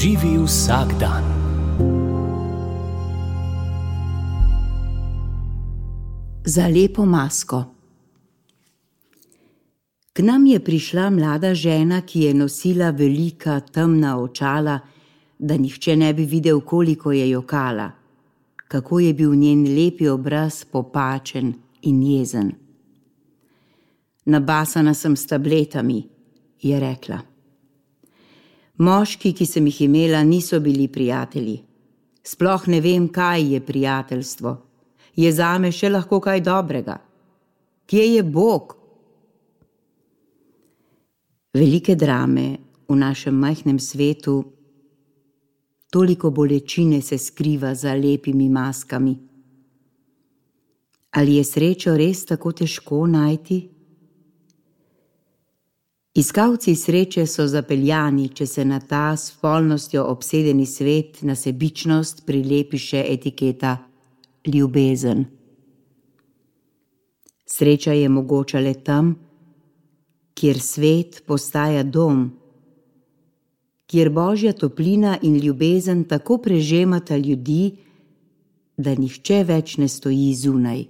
Živi vsak dan. Za lepo masko. K nam je prišla mlada žena, ki je nosila velika temna očala, da nihče ne bi videl, koliko je jokala, kako je bil njen lepi obraz popačen in jezen. Nabasana sem s tabletami, je rekla. Moški, ki sem jih imela, niso bili prijatelji. Sploh ne vem, kaj je prijateljstvo. Je zame še lahko kaj dobrega? Kje je Bog? Velike drame v našem majhnem svetu, toliko bolečine se skriva za lepimi maskami. Ali je srečo res tako težko najti? Iskalci sreče so zapeljani, če se na ta s spolnostjo obsedeni svet na sebičnost prilepi še etiketa ljubezen. Sreča je mogoča le tam, kjer svet postaja dom, kjer božja toplina in ljubezen tako prežemata ljudi, da nihče več ne stoji zunaj,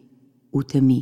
v temi.